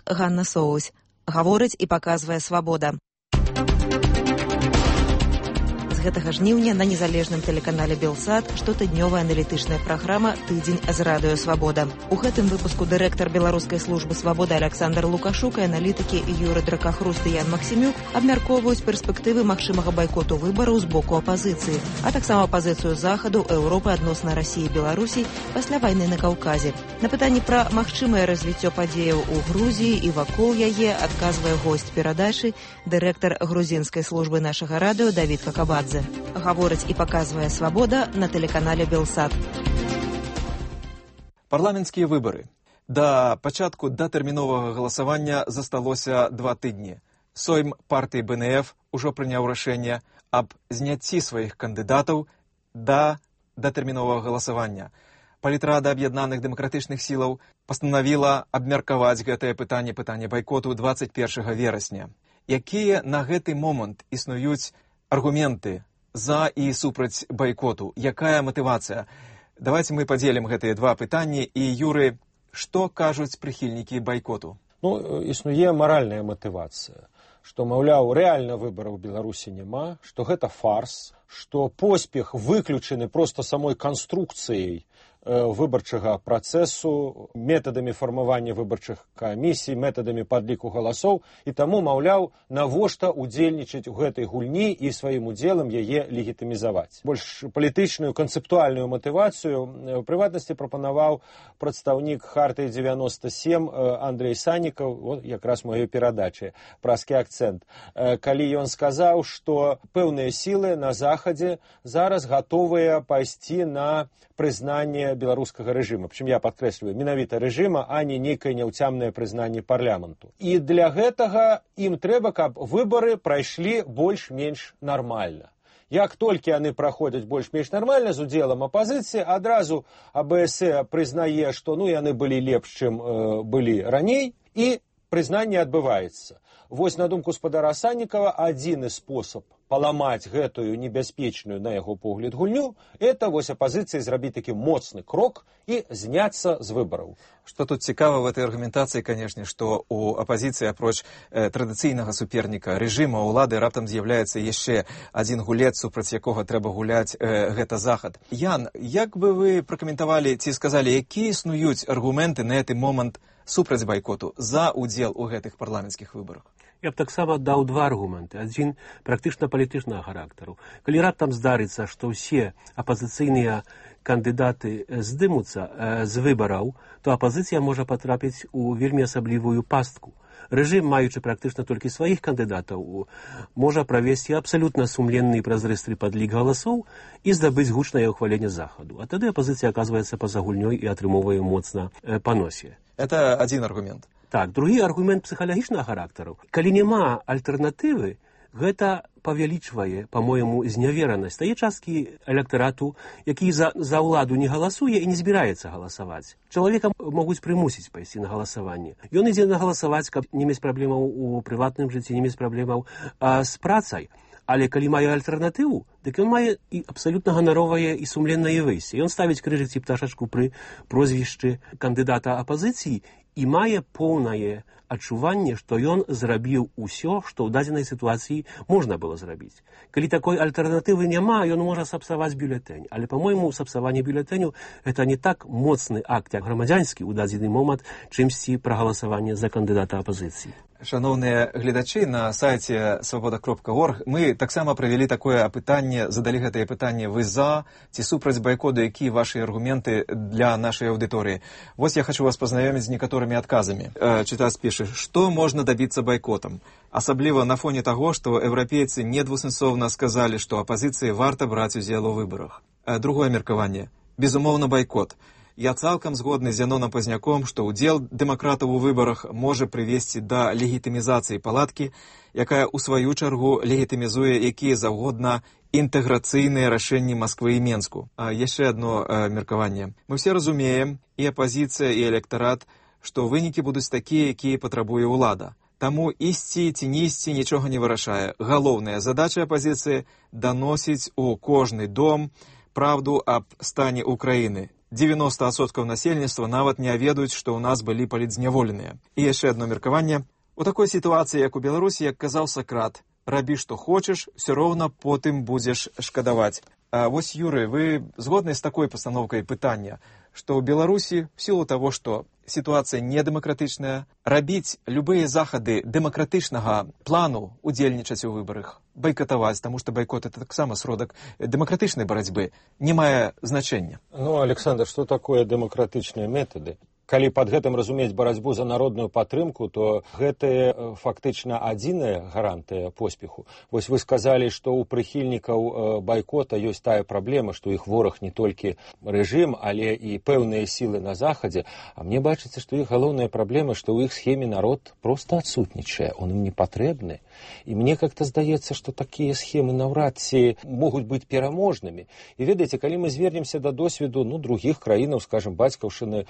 Ганна Соусь. Гаворыць і паказвае свабода. З гэтага жніўня на незалежным тэлеканале Белсат штотыднёвая аналітычная праграма «Тыдзень з радыё Свабода». У гэтым выпуску дырэктар беларускай службы свабоды Александр Лукашук і аналітыкі Юры Дракахруст і Ян Максімюк абмяркоўваюць перспектывы магчымага байкоту выбараў з боку апазіцыі, а таксама пазіцыю Захаду, Еўропы адносна Расіі і Беларусі пасля вайны на Каўказе. На пытанні пра магчымае развіццё падзеяў у Грузіі і вакол яе адказвае госць перадачы, дырэктар грузінскай службы нашага радыё Давід Какабадзе. Гаворыць і паказвае свабода на тэлеканале Белсат. Парламенцкія выбары. Да пачатку датэрміновага галасавання засталося 2 тыдні. Сойм партыі БНФ ужо прыняў рашэнне аб зняцці сваіх кандыдатаў да датэрміновага галасавання. Палітрада аб'яднаных дэмакратычных сілаў пастанавіла абмеркаваць гэтае пытанне байкоту 21 верасня. Якія на гэты момант існуюць аргументы за і супраць байкоту? Якая матывацыя? Давайте мы падзелім гэтыя два пытанні. І, Юры, што кажуць прыхільнікі байкоту? Існуе маральная матывацыя, што, маўляў, рэальна выбараў у Беларусі няма, што гэта фарс, што поспех выключаны проста самой канструкцыяй выбарчага працэсу, метадамі фармавання выбарчых камісій, метадамі падліку галасоў, і таму, маўляў, навошта удзельнічаць у гэтай гульні і сваім удзелам яе легітымізаваць. Больш палітычную, канцэптуальную матывацыю у прыватнасці прапанаваў прадстаўнік Хартыі 97 Андрей Саннікаў, якраз маёй перадачы, празкі акцэнт, калі ён сказаў, што пэўныя сілы на Захадзе зараз гатовыя пайсці на прызнанне беларускага рэжыма. Прычым я падкрэсліваю, менавіта рэжыма, а не нейкае няўцямнае прызнанне парламенту. І для гэтага ім трэба, каб выбары прайшлі больш-менш нармальна. Як толькі яны праходзяць больш-менш нармальна з удзелам апазіцыі, адразу АБС прызнае, што яны былі лепш, чым былі раней, і прызнанне адбываецца. Вось, на думку спадара Саннікава, адзіны спосаб паламаць гэтую небяспечную, на яго погляд, гульню, это вось апазіцыі зрабіць такі моцны крок і зняцца з выбараў. Што тут цікава в этой аргументацыі, канешне, што у апазіцыі апроч традыцыйнага суперніка рэжыма ўлады раптам з'яўляецца яшчэ адзін гулец, супраць якога трэба гуляць, гэта Захад. Ян, як бы вы пракаментавалі ці сказалі, якія існуюць аргументы на гэты момант супраць байкоту за удзел у гэтых парламенцкіх выбарах? Я б таксама даў два аргументы. Адзін практычна палітычнага характару. Калі раптам здарыцца, што ўсе апазіцыйныя кандыдаты здымуцца з выбараў, то апазіцыя можа патрапіць у вельмі асаблівую пастку. Рэжым, маючы практычна толькі сваіх кандыдатаў, можа правесці абсалютна сумленны і празрысты падлік галасоў і здабыць гучнае ўхваленне Захаду. А тады апазіцыя аказваецца па-за гульнёй і атрымоўвае моцна па носе. Это адзін аргумент. Так, другі аргумент псіхалагічнага характару. Калі няма альтэрнатывы, гэта павялічвае, па-мойму, зняверанасць тае часткі электарату, які за ўладу не галасуе і не збіраецца галасаваць. Чалавека могуць прымусіць пайсці на галасаванне. Ён ідзе на галасаваць, каб не мець праблемаў у прыватным жыцці, не мець праблемаў з працай. Але калі мае альтэрнатыву, дык ён мае і абсалютна ганаровае і сумленнае выйсце. Ён ставіць крыжык ці пташачку пры прозвішчы кандыдата апазіцыі і мае поўнае адчуванне, што ён зрабіў усё, што ў дадзенай сітуацыі можна было зрабіць. Калі такой альтэрнатывы няма, ён можа сапсаваць бюлетэнь. Але, па-мойму, сапсаванне бюлетэню – гэта не так моцны акт, як грамадзянскі ў дадзены момант, чымсьці прагаласаванне за кандыдата апазіцыі. Шановныя гледачы, на сайце свабода.орг мы таксама правялі такое апытанне, задалі гэтае пытанне: вы за ці супраць байкоту, якія вашы аргументы для нашай аўдыторыі? Вось я хочу вас пазнаёміць з некаторымі адказамі. Чытац піша, што можна дабіцца байкотам? Асабліва на фоне таго, што еўрапейцы недвусэнсоўна сказалі, што апазіцыі варта браць удзел у выбарах. Другое меркаванне. Безумоўна, байкот. Я цалкам згодны з Яноном Пазняком, што ўдзел дэмакратаў у выбарах можа прывесці да легітымізацыі палаткі, якая ў сваю чаргу легітымізуе якія заўгодна інтэграцыйныя рашэнні Масквы і Менску. Яшчэ адно меркаванне. Мы все разумеем, і апазіцыя, і электарат, што вынікі будуць такія, якія патрабуе ўлада. Таму ісці ці не ісці нічога не вырашае. Галоўная задача апазіцыі – даносіць у кожны дом правду аб стане Украіны. 90% насельніцтва нават не ведаюць, што ў нас былі палітзняволеныя. І яшчэ одно меркаванне. У такой сітуацыі, як у Беларусі, як казаў Сакрат, рабі, што хочаш, все роўна потым будзеш шкадаваць. А вось, Юрый, вы згодны з такой пастаноўкай пытання, што ў Беларусі, в сілу таго, што сітуацыя недэмакратычная, рабіць любыя захады дэмакратычнага плану, удзельнічаць у выбарах, байкатаваць, таму што байкот — это таксама сродак дэмакратычнай барацьбы, не мае значэння. Ну, Александр, што такое дэмакратычныя метады? Калі пад гэтым разумець барацьбу за народную падтрымку, то гэта фактычна адзіная гарантыя поспеху. Вось вы сказалі, што ў прыхільнікаў байкота ёсць тая праблема, што іх вораг не толькі рэжым, але і пэўныя сілы на захадзе. А мне бачыцца, што іх галоўная праблема, што ў іх схеме народ проста адсутнічае, он ім не патрэбны. І мне как-то здаецца, што такія схемы наўрад ці могуць быць пераможнымі. І ведаеце, калі мы звернемся да досведу другіх краінаў, скажем, бацькаўшчыны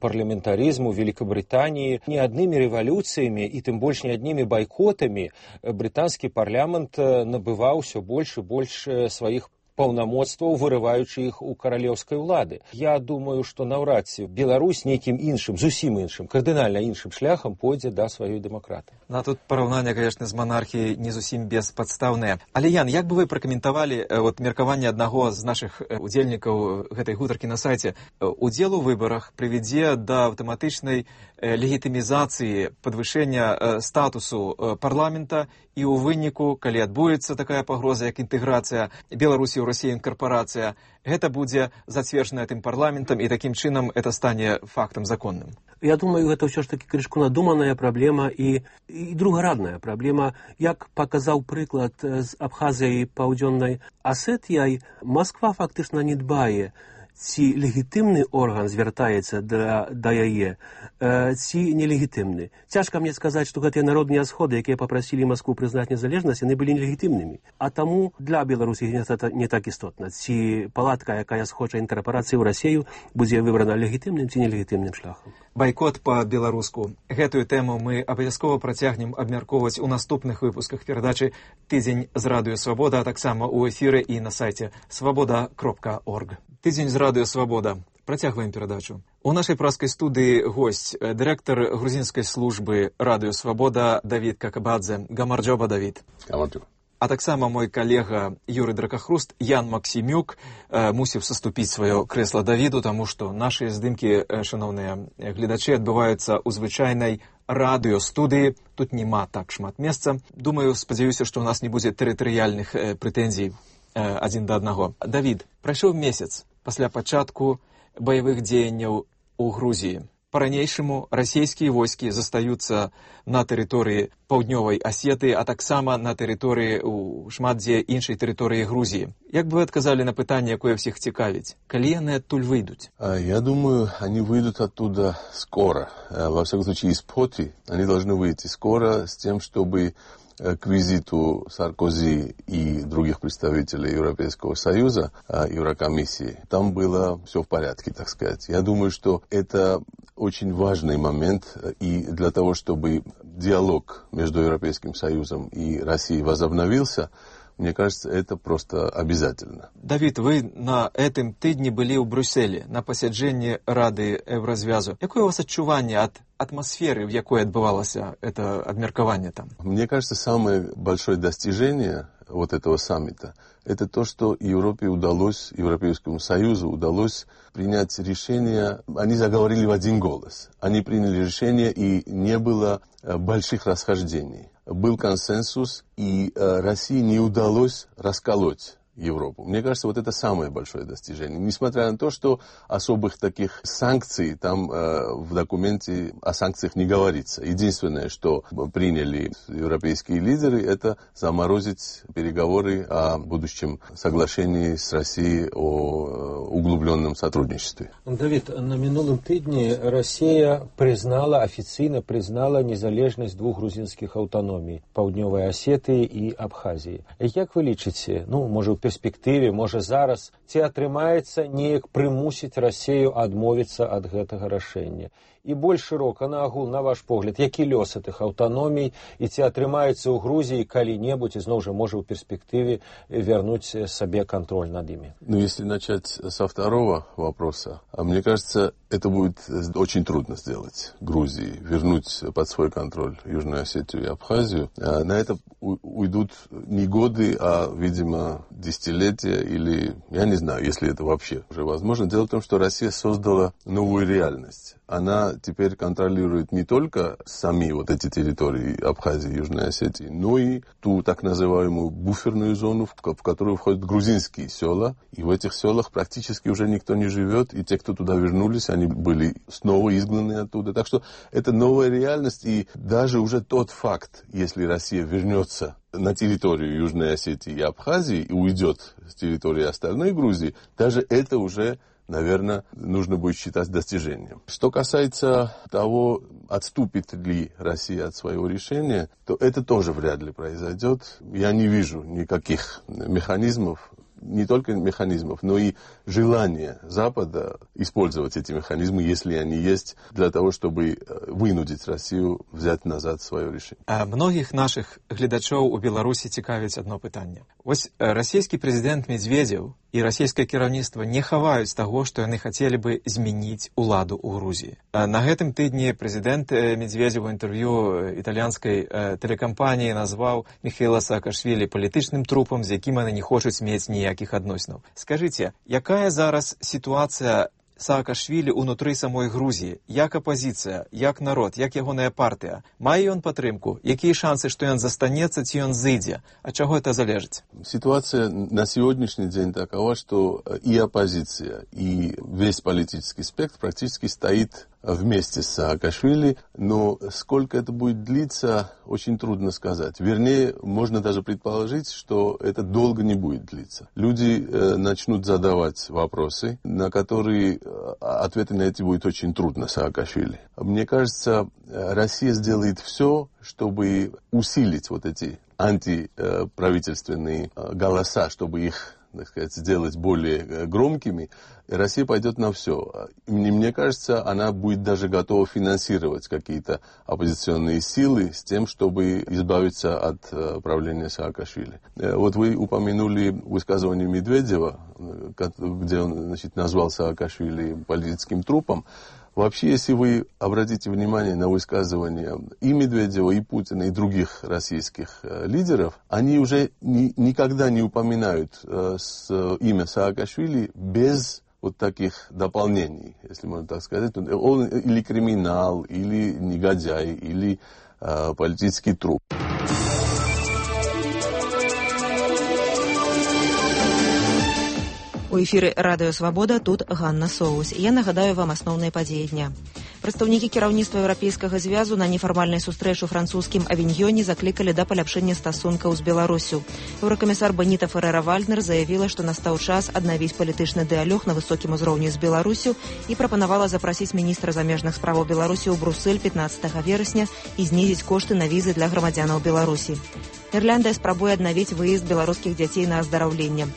парламентаризму Великобритании, не одними революциями и тем больше не одними бойкотами британский парламент набывал все больше и больше своих паўнамоцтваў, вырываючы іх у каралеўскай улады. Я думаю, што наўрад ці Беларусь нейкім іншым, зусім іншым, кардынальна іншым шляхам пойдзе да сваёй дэмакраты. Ну, а тут параўнанне, конечно, з манархіяй не зусім беспадстаўнае. Але, Ян, як бы вы пракаментавалі меркаванне аднаго з нашых удзельнікаў гэтай гутаркі на сайце? Удзел у выбарах прывядзе да аўтаматычнай легітымізацыі, падвышэння статусу парламента, і ў выніку, калі адбудзецца такая пагроза, як інтэграцыя Беларусі ў Расію інкарпорацыя, гэта будзе зацверджана тым парламентам, і такім чынам это стане фактам законным. Я думаю, гэта ўсё ж такі крышку надуманая праблема і другарадная праблема. Як паказаў прыклад з Абхазіяй, Паўдзённай Асетіяй, Масква фактычна не дбае, ці легітымны орган звяртаецца да яе, ці нелегітымны. Цяжка мне сказаць, што гэтыя народныя сходы, якія папрасілі Маскву прызнаць незалежнасць, яны былі нелегітымнымі. А таму для Беларусі гэта не так істотна. Ці палатка, якая схоча інкарпорацыі ў Расію, будзе выбрана легітымным ці нелегітымным шляхам. Байкот па-беларуску. Гэтую тэму мы абавязкова працягнем абмяркоўваць у наступных выпусках перадачы «Тыдзень з радыё Свабода», а таксама ў эфіры і на сайце свабода.орг. «Тыдзень з радыё Свабода». Працягваем перадачу. У нашай праскай студыі госць, дырэктар грузінскай службы радыё Свабода Давід Какабадзе. Гамарджоба, Давід. Гамарджоба. А таксама мой калега Юрый Дракахруст, Ян Максімюк, мусіў саступіць сваё крэсла Давіду, таму што нашы здымкі, шановныя гледачы, адбываюцца ў звычайнай радыёстудыі. Тут няма так шмат месца. Думаю, спадзяюся, што ў нас не будзе тэрытарыяльных прэтэнзій адзін да аднаго. Давід, прайшоў месяц пасля пачатку баявых дзеянняў у Грузіі. Па-ранейшаму расійскія войскі застаюцца на тэрыторыі Паўднёвай Асетыі, а таксама на тэрыторыі ў шмат дзе іншай тэрыторыі Грузіі. Як бы вы адказалі на пытанне, якое всіх цікавіць? Калі яны адтуль выйдуць? Я думаю, они выйдут оттуда скоро. Во всяком случае, из Поти они должны выйти скоро с тем, чтобы к визиту Саркози и других представителей Европейского Союза, Еврокомиссии, там было все в порядке, так сказать. Я думаю, что это очень важный момент, и для того, чтобы диалог между Европейским Союзом и Россией возобновился, мне кажется, это просто обязательно. Давид, вы на этом тыдні былі ў Брюсселі на пасяджэнні Рады Еўразвязу. Якое у вас адчуванне ад атмосферы, в якой отбывалось это обмеркование там? Мне кажется, самое большое достижение вот этого саммита — это то, что Европе удалось, Европейскому Союзу удалось принять решение. Они заговорили в один голос. Они приняли решение, и не было больших расхождений. Был консенсус, и России не удалось расколоть Европу. Мне кажется, вот это самое большое достижение. Несмотря на то, что особых таких санкций там в документе о санкциях не говорится. Единственное, что приняли европейские лидеры, это заморозить переговоры о будущем соглашении с Россией о углубленном сотрудничестве. Давид, на минулым тыдні Россия официально признала незалежность двух грузинских автономий — Паўднёвай Асетыі и Абхазии. Как вы лічыце, может, перспектыве, можа зараз, ці атрымаецца неяк прымусіць Расію адмовіцца ад гэтага рашэння. І больш шырока на агул, на ваш погляд, які лёс гэтых аўтаномій і ці атрымаецца ў Грузіі калі-небудзь, і зноў жа можа ў перспектыве вернуць сабе контроль над ими? Ну, если начать со второго вопроса, мне кажется, это будет очень трудно сделать Грузии, вернуть под свой контроль Южную Осетию и Абхазию. На это уйдут не годы, а, видимо, десятилетия или, я не знаю, если это вообще уже возможно. Дело в том, что Россия создала новую реальность. Она теперь контролирует не только сами вот эти территории Абхазии и Южной Осетии, но и ту так называемую буферную зону, в которую входят грузинские села. И в этих селах практически уже никто не живет, и те, кто туда вернулись, они были снова изгнаны оттуда. Так что это новая реальность, и даже уже тот факт, если Россия вернется на территорию Южной Осетии и Абхазии и уйдет с территории остальной Грузии, даже это уже, наверное, нужно будет считать достижением. Что касается того, отступит ли Россия от своего решения, то это тоже вряд ли произойдет. Я не вижу никаких механизмов, не только механизмов, но и желания Запада использовать эти механизмы, если они есть, для того, чтобы вынудить Россию взять назад свое решение. Многих наших глядачоў у Беларусі цікавіць одно пытанне. Вось расійскі прэзідэнт Медведзеў і расійскае кіраўніцтва не хаваюць таго, што яны хацелі бы змяніць уладу ў Грузіі. На гэтым тыдні прэзідэнт Медведзеў у інтэрв'ю італьянскай тэлекампаніі назваў Міхаіла Саакашвілі палітычным трупам, з якім яны не хочуць мець ніякіх адносінаў. Скажыце, якая зараз сітуацыя Саакашвілі ўнутры самой Грузіі? Як апазіцыя, як народ, як ягоная партыя? Мае ён падтрымку? Якія шансы, што ён застанецца, ці ён зыдзе? Ад чаго это залежыць? Ситуация на сегодняшний день такова, что и оппозиция, и весь политический спектр практически стоит вместе с Саакашвили, но сколько это будет длиться, очень трудно сказать. Вернее, можно даже предположить, что это долго не будет длиться. Люди начнут задавать вопросы, на которые ответы на эти будет очень трудно Саакашвили. Мне кажется, Россия сделает все, чтобы усилить вот эти антиправительственные голоса, чтобы их, так сказать, сделать более громкими. Россия пойдет на все. Мне кажется, она будет даже готова финансировать какие-то оппозиционные силы с тем, чтобы избавиться от правления Саакашвили. Вот вы упомянули высказывание Медведева, где он, значит, назвал Саакашвили политическим трупом. Вообще, если вы обратите внимание на высказывания и Медведева, и Путина, и других российских лидеров, они уже никогда не упоминают имя Саакашвили без вот таких дополнений, если можно так сказать. Он или криминал, или негодяй, или политический труп. У эфіры радыё «Свабода», тут Ганна Соус. Я нагадаю вам асноўныя падзеі дня. Прадстаўнікі кіраўніцтва Еўрапейскага звязу на нефармальнай сустрэчы ў французскім Авіньёне заклікалі да паляпшэння стасункаў з Беларусю. Еўракамісар Беніта Ферэра-Вальднер заявіла, што настаў час аднавіць палітычны дыялог на высокім узроўні з Беларусю і прапанавала запрасіць міністра замежных справаў Беларусі ў Брусэль 15 верасня і знізіць кошты на візы для грамадзянаў Беларусі. Ірландыя спрабуе аднавіць выезд беларускіх дзяцей на аздараўленне.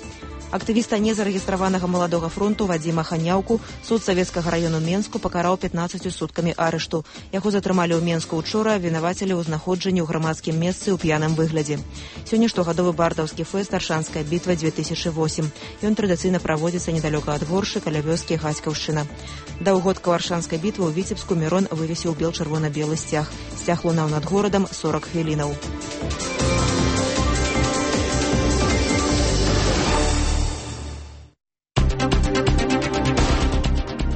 Актывіста незарэгістраванага маладога фронту Вадзіма Ханяўку суд савецкага раёну Менску пакараў 15 суткамі арышту. Яго затрымалі ў Менску учора, абвінавацілі ў знаходжанні ў грамадскім месцы ў п'яным выглядзе. Сёння штогадовы бардаўскі фэст «Аршанская бітва 2008». Ён традыцыйна праводзіцца недалёка ад Воршы, каля вёскі Гаськаўшчына. Да ўгодкаў Аршанскай бітвы ў Віцебску Мірон вывесіў бел-чырвона-белы сцяг. Сцяг лунаў над горадам 40 хвілінаў.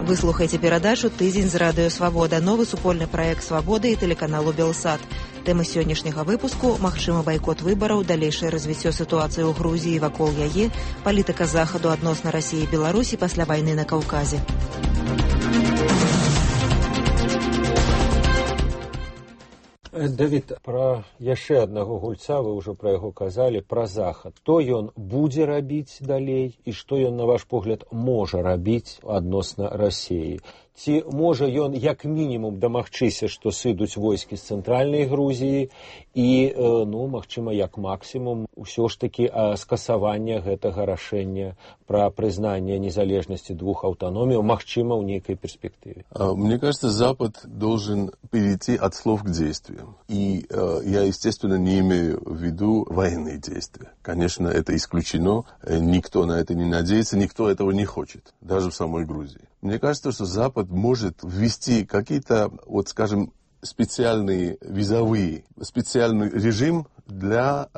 Вы слухаеце перадачу «Тыдзень з радыё Свабода», новы супольны праект «Свабоды» і тэлеканалу «Белсат». Тэмы сённяшняга выпуску – магчымы байкот выбараў, далейшае развіццё сітуацыі ў Грузіі вакол яе, палітыка захаду адносна Расіі і Беларусі пасля вайны на Каўказе. Давід, пра яшчэ аднаго гульца, вы ўжо пра яго казалі, пра захад. Што ён будзе рабіць далей і што ён, на ваш погляд, можа рабіць адносна Расіі? ці можа ён як мінімум дамагчыся, што сыдуць войскі з цэнтральнай Грузіі і, ну, магчыма, як максімум ўсё ж такі скасавання гэтага рашэння пра прызнанне незалежнасці двух аўтаноміяў, магчыма, ў нейкай перспектыве. Мне кажется, Запад должен перейти от слов к действиям. И я, естественно, не имею в виду военные действия. Конечно, это исключено. Никто на это не надеется, никто этого не хочет, даже в самой Грузии. Мне кажется, что Запад может ввести какие-то, вот скажем, специальный специальный режим для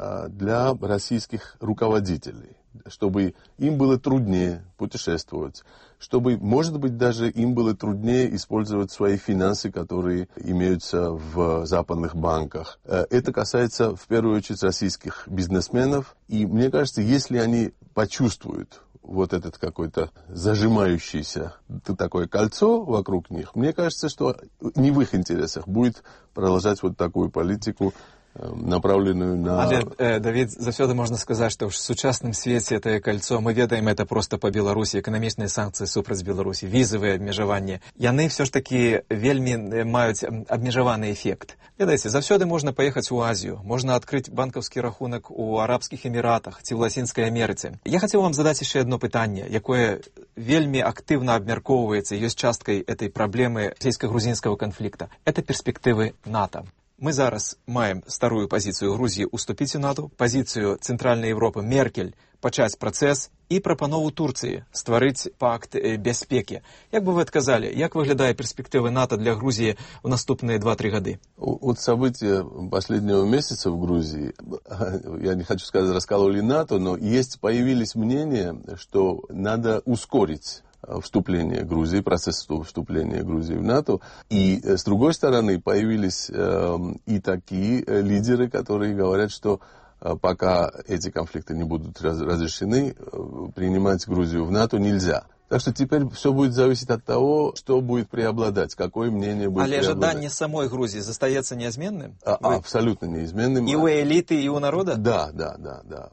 российских руководителей, чтобы им было труднее путешествовать, чтобы, может быть, даже им было труднее использовать свои финансы, которые имеются в западных банках. Это касается, в первую очередь, российских бизнесменов. И мне кажется, если они почувствуют вот этот какой-то зажимающийся такое кольцо вокруг них, мне кажется, что не в их интересах будет продолжать вот такую политику, направленную на... Але, Давид, заўсёды можна сказаць, што ў сучасным свеце гэтае кольцо, мы ведаем это просто па Беларусі, эканамічныя санкцыі супраць Беларусі, візавыя абмежаванні, яны все ж такі вельмі маюць абмежаваны эфект. Ведаеце, заўсёды можна паехаць у Азію, можна адкрыць банкаўскі рахунак у Арабскіх Эміратах ці ў Лацінскай Амерыцы. Я хацеў вам задаць яшчэ одно пытанне, якое вельмі актыўна абмяркоўваецца, ёсць часткай этой праблемы расійска-грузінскага канфлікта. Это перспектывы НАТО. Мы зараз маем старую пазіцыю Грузіі уступіць у НАТО, пазіцыю Цэнтральнай Европы Меркель пачаць працэс і прапанову Турцыі стварыць пакт бяспекі. Як бы вы адказалі, як выглядае перспектывы НАТО для Грузіі ў наступныя 2-3 гады? Вот события последнего месяца в Грузии, я не хочу сказать, раскололи НАТО, но появились мнения, что надо ускорить вступление Грузии, процесс вступления Грузии в НАТО. И, с другой стороны, появились и такие лидеры, которые говорят, что пока эти конфликты не будут разрешены, принимать Грузию в НАТО нельзя. Так что теперь все будет зависеть от того, что будет преобладать, какое мнение будет преобладать. Але жаданне самой Грузии застаецца неизменным? Абсолютно неизменным. И у элиты, и у народа? Да.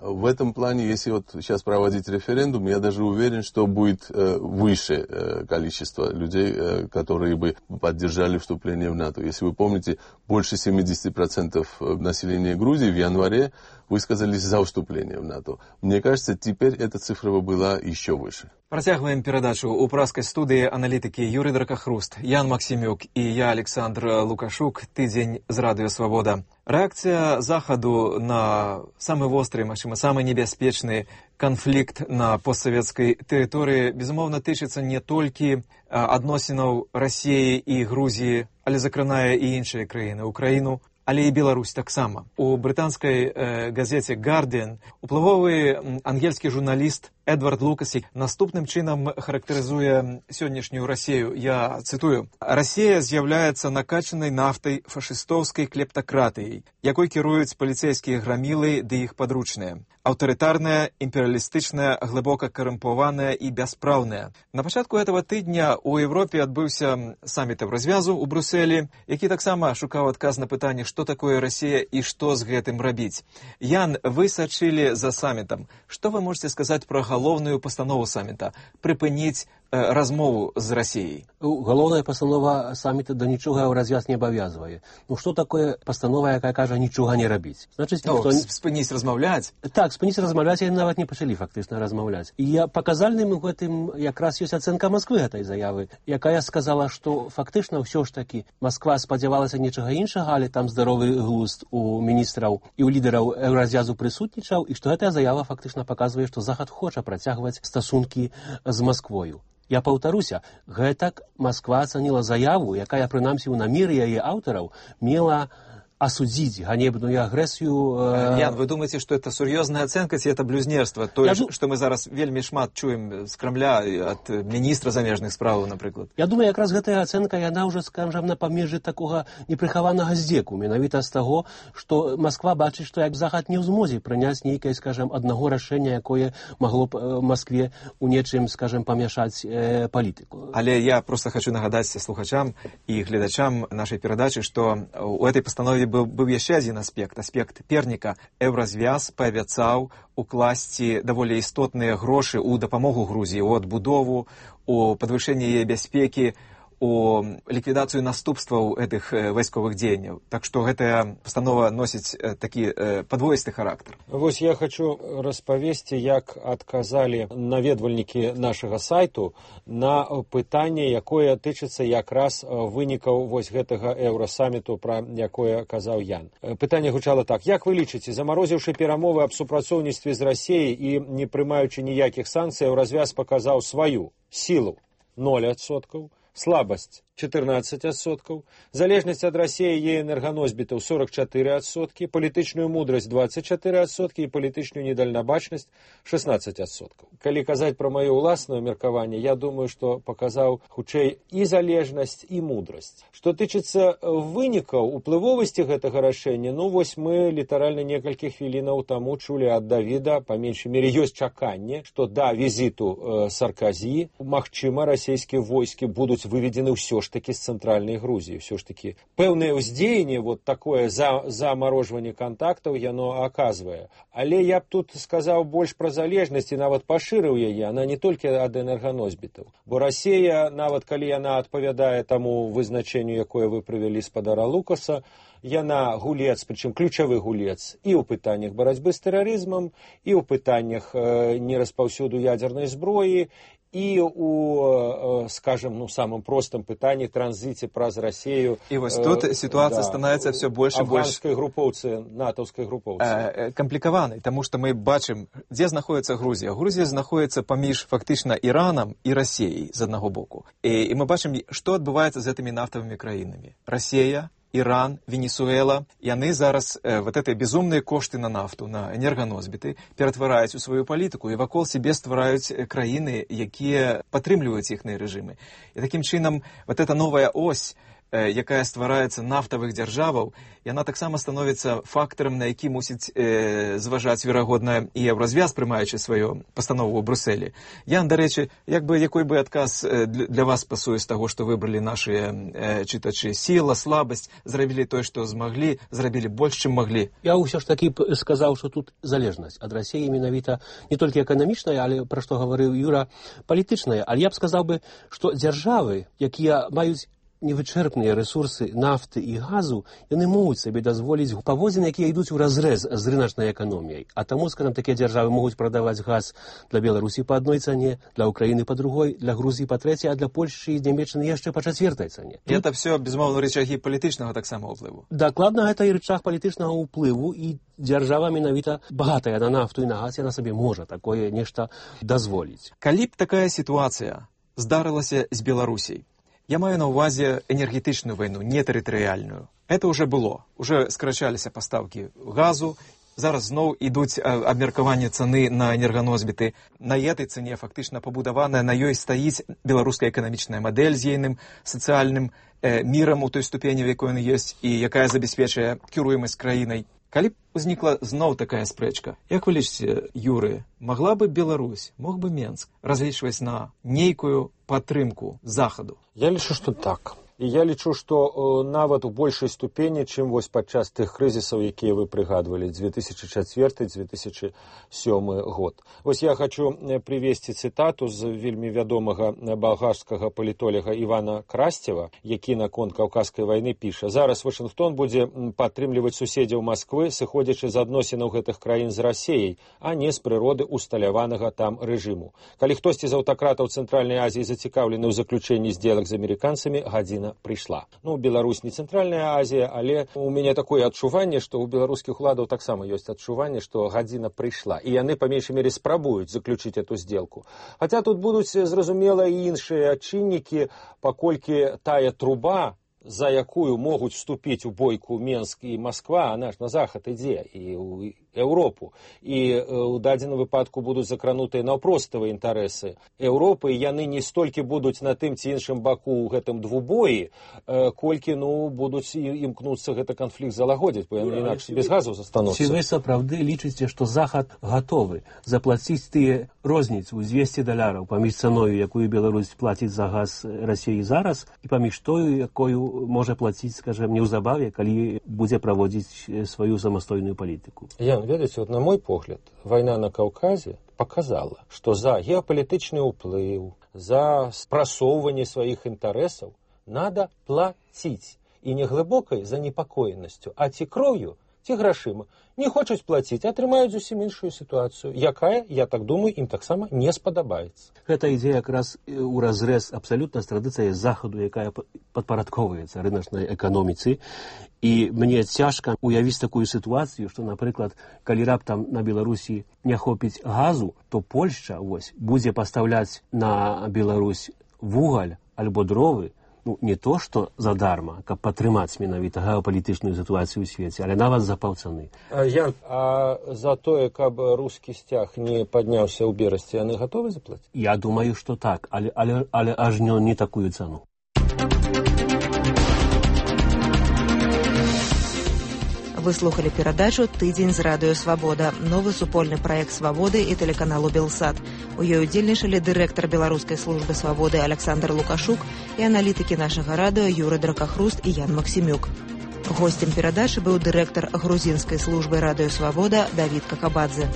В этом плане, если вот сейчас проводить референдум, я даже уверен, что будет выше количество людей, которые бы поддержали вступление в НАТО. Если вы помните, больше 70% населения Грузии в январе высказались за вступление в НАТО. Мне кажется, теперь эта цифра была еще выше. Працягваем перадачу. У праскай студыі аналітыкі Юрый Дракахруст, Ян Максімюк і я, Александр Лукашук. Тыдзень з Радыё Свабода. Рэакцыя Захаду на самы востры, магчыма, самы небяспечны канфлікт на постсавецкай тэрыторыі, безумоўна, тычыцца не толькі адносінаў Расіі і Грузіі, але закранае і іншыя краіны, Украіну, але і Беларусь таксама. У брытанскай газеце «Гардиан» уплывовы ангельскі журналіст Эдвард Лукас наступным чынам характарызуе сённяшнюю Расію. Я цытую. «Расія з'яўляецца накачанай нафтай фашыстоўскай клептакратыяй, якой кіруюць паліцэйскія грамілы ды іх падручныя. Аўтарытарная, імперыялістычная, глыбока карумпаваная і бяспраўная». На пачатку этого тыдня ў Европе адбыўся саміт развязу ў Брюсселі, які таксама шукаў адказ на пытанне, што такое Расія і што з гэтым рабіць. Ян, вы сачылі за самітам. Што вы можете сказаць пра галоўную пастанову саміта прыпыніць размову з Расіяй? Галоўная пастанова саміта да нічога ў развяз не абавязвае. Ну што такое пастанова, якая кажа нічога не рабіць? Значыць, спыніць размаўляць? Так, спыніць размаўляць, яны нават не пачалі фактычна размаўляць. І паказальным у гэтым якраз ёсць ацэнка Масквы гэтай заявы, якая сказала, што фактычна ўсё ж такі Масква спадзявалася нечага іншага, але там здаровы глузд у міністраў і ў лідараў еўразвязу прысутнічаў, і што гэтая заява фактычна паказвае, што Захад хоча працягваць стасункі з Масквою. Я паўтаруся, гэтак Масква ацаніла заяву, якая, прынамсі, у намеры яе аўтараў мела осудить ганебную агрессию. Ян, вы думаете, что это серьезная оценка, ці это блюзнерство? То, что мы зараз вельмі шмат чуем з Кремля от міністра замежных справаў, напрыклад. Я думаю, якраз гэтая ацэнка, яна ўжо, скажем, на памежы такога непрыхаванага здзеку, менавіта з таго, што Масква бачыць, што як Захад не ў змозе прыняць нейкае, скажем, аднаго рашэння, якое магло б Маскве у нечым, скажем, памяшаць палітыку. Але я просто хочу нагадаць слухачам і гледачам нашай перадачы, што у этой пастанове быў яшчэ адзін аспект перніка. Еўразвяз паабяцаў укласці даволі істотныя грошы ў дапамогу Грузіі, у адбудову, у падвышэнне яе бяспекі, у ліквідацыю наступстваў гэтых вайсковых дзеянняў. Так што гэтая пастанова носіць такі падвоісты характар. Вось я хочу распавесці, як адказалі наведвальнікі нашага сайту на пытанне, якое тычыцца якраз вынікаў вось гэтага еўрасаміту, пра якое казаў Ян. Пытанне гучала так: як вы лічыце, замарозіўшы перамовы аб супрацоўніцтве з Расіяй і не прымаючы ніякіх санкцыяў, развяз паказаў сваю сілу 0%, слабасць 14%, залежнасць ад Расіі і энерганосьбітаў 44%, палітычную мудрасць 24% і палітычную недальнабачнасць 16%. Калі казаць пра маё ўласнае меркаванне, я думаю, што паказаў хутчэй і залежнасць, і мудрасць. Што тычыцца вынікаў уплывовасці гэтага рашэння, ну вось мы літаральна некалькі хвілінаў таму чулі ад Давіда, па меншай мере ёсць чаканне, што да візіту Сарказі, магчыма, расійскія войскі будуць выведзены ўсё ж таки з цэнтральнай Грузіі. Все ж таки пэўнае ўздзеянне, вот такое замарожванне кантактаў яно аказвае. Але я б тут сказаў больш пра залежнасць і нават пашырыў яе. Она не толькі ад энерганосьбітаў. Бо Расія, нават калі яна адпавядае таму вызначенню, якое вы прывялі спадара Лукаса, яна гулец, прычым ключавы гулец і ў пытаннях барацьбы з тэрарызмам, і ў пытаннях нераспаўсюду ядзернай зброі, і у, скажем, самым простым пытанні транзіце праз Расію. І вось тут сітуацыя становіцца все больш і больш афганскай групоўцы, натаўскай групоўцы. Камплікаванай, таму што мы бачым, дзе знаходіцца Грузія. Грузія знаходіцца паміж фактычна Іранам і Расіяй з аднаго боку. І мы бачым, што адбываецца з гэтымі нафтавымі краінамі. Расія, Иран, Венесуэла, яны зараз вот эти безумные кошты на нафту, на энерганосбіты ператвараюць у сваю палітыку і вакол себе ствараюць краіны, якія падтрымліваюць іхныя рэжымы. І такім чынам вот эта новая ось, якая ствараецца нафтавых дзяржаваў, яна таксама становіцца фактарам, на які мусіць зважаць, верагодна, і Еўразвяз, прымаючы сваю пастанову ў Брусэлі. Ян, дарэчы, якой бы адказ для вас пасуе з таго, што выбралі нашыя чытачы? Сіла, слабасць, зрабілі тое, што змаглі, зрабілі больш, чым маглі? Я ўсё ж такі сказаў, што тут залежнасць ад Расіі менавіта не толькі эканамічная, але, пра што гаварыў Юра, палітычная. Але я б сказаў бы, што дзяржавы, якія маюць невычэрпныя рэсурсы нафты і газу, яны могуць сабе дазволіць паводзіны, якія ідуць у разрэз з рыначнай эканоміяй. А таму, скажам, такія дзяржавы могуць прадаваць газ для Беларусі па адной цане, для Украіны па другой, для Грузіі па трэцяй, а для Польшчы і Нямецчыны яшчэ па чацвёртай цане. І гэта все, безумоўна, рычагі палітычнага таксама ўплыву. Дакладна, гэта і рычаг палітычнага ўплыву, і дзяржава менавіта багатая на нафту і на газ, яна сабе можа такое нешта дазволіць. Калі б такая сітуацыя здарылася з Беларусій, я маю на ўвазе энергетычную вайну, не тэрытарыяльную. Это уже было. Уже скарачаліся пастаўкі газу, зараз зноў ідуць абмеркаванне цаны на энерганосбіты. На этой цане фактычна пабудаваная, на ёй стаіць беларуская эканамічная мадэль з ейным сацыяльным мірам у той ступені, в якой ён ёсць, і якая забяспечвае кіруемасць краінай. Калі б узнікла зноў такая спрэчка, як вы лічыце, Юры, магла бы Беларусь, мог бы Менск разлічваць на нейкую падтрымку захаду? Я лічу, што так. І я лічу, што нават у большай ступені, чым вось падчас тых крызісаў, якія вы прыгадвалі, 2004-2007 год. Вось я хочу прывесці цытату з вельмі вядомага балгарскага палітолага Івана Красцева, які наконт Каўказскай вайны піша: «Зараз Вашынгтон будзе падтрымліваць суседзяў Масквы, сыходзячы з адносінаў гэтых краін з Расіяй, а не з прыроды усталяванага там рэжыму. Калі хтосьці з аўтакратаў Цэнтральнай Азіі зацікаўлены ў заключэнні здзелак з амерыканцамі, гадзіна прыйшла». Беларусь не Цэнтральная Азія, але у мяне такое адчуванне, што ў беларускіх уладаў таксама ёсць адчуванне, што гадзіна прыйшла, і яны па меншай мере спрабуюць заключыць эту здзелку. Хаця тут будуць, зразумела, і іншыя чыннікі, паколькі тая труба, за якую могуць вступіць у бойку Менск і Масква, она ж на захад ідзе, і ў Еўропу. І ў дадзеным выпадку будуць закранутыя наўпроставыя інтарэсы Еўропы, і яны не столькі будуць на тым ці іншым баку ў гэтым двубоі, колькі, будуць імкнуцца гэты канфлікт залагодзіць, бо яны інакш без газу застануцца. Ці вы сапраўды лічыце, што захад гатовы заплаціць тыя розніцу $200 паміж цаною, якую Беларусь плаціць за газ Расіі зараз, і паміж тою, якую можа плаціць, скажем, неўзабаве, калі будзе праводзіць сваю самастойную палітыку? Ведаеце, на мой погляд, вайна на Каўказе показала, што за геапалітычны ўплыў, за спрасоўванне сваіх інтарэсаў надо платить. І не глибокай занепакоенасцю, а ці кроўю, ці грашыма. Не хочуць плаціць, атрымаюць зусім іншую сітуацыю, якая, я так думаю, ім таксама не спадабаецца. Гэта ідзе якраз у разрэз абсалютна з традыцыяй захаду, якая падпарадкоўваецца рыначнай эканоміцы. І мне цяжка уявіць такую сітуацыю, што, напрыклад, калі раптам на Беларусі не хопіць газу, то Польшча будзе пастаўляць на Беларусь вугаль альбо дровы, не то, што задарма, каб падтрымаць менавіта геапалітычную сітуацыю ў свеце, але нават за паўцаны. Ян, а за тое, каб рускі сцяг не падняўся ў Берасці, яны гатовы заплаціць? Я думаю, што так, але аж не такую цану. Вы слухали перадачу «Тыдзень з радыё Свабода», новы супольны праект «Свабоды» і тэлеканалу «Белсат». У ёй удзельнічалі дырэктар Беларускай службы «Свабоды» Александр Лукашук і аналітыкі нашага радыё Юры Дракахруст і Ян Максімюк. Госцем перадачы быў дырэктар грузінскай службы «Радыё Свабода» Давід Какабадзе.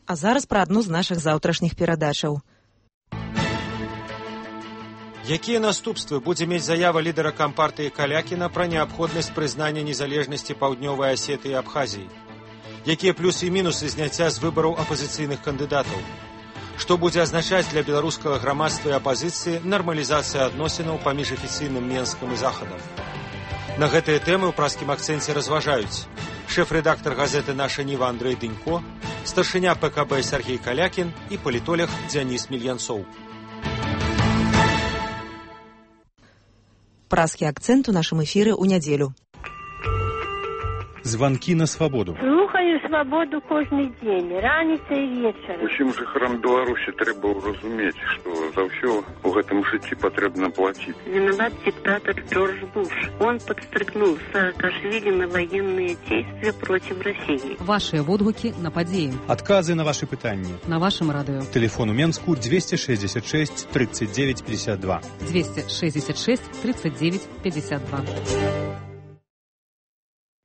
А зараз пра адну з нашых заўтрашніх перадачаў. Якія наступствы будзе мець заява лідара кампартыі Калякіна пра неабходнасць прызнання незалежнасці Паўднёвай Асетыі і Абхазіі? Якія плюсы і мінусы зняцця з выбараў апазіцыйных кандыдатаў? Што будзе азначаць для беларускага грамадства і апазіцыі нармалізацыя адносінаў паміж афіцыйным Менскам і Захадам? На гэтыя тэмы ў праскім акцэнце разважаюць шэф-рэдактар газеты «Наша Ніва» Андрэй Дынько, старшыня ПКБ Сергей Калякін і палітолог Дзяніс Мільянцоў. Праскі акцэнт у нашым эфіры ў нядзелю. Званкі на свабоду. Слухаю свабоду кожны дзень, раніца і вечар. Усім жыхарам Беларусі трэба разумець, што за ўсё у гэтым жыцці патрэбна плаціць. Виноват диктатор Джордж Буш. Он подстрыкнул Саакашвили на военные действия против России. Ваши водгукі на падзеі. Адказы на ваши пытанні. На вашым радыё. Телефон у Менску 266 39 52. 266 39 52.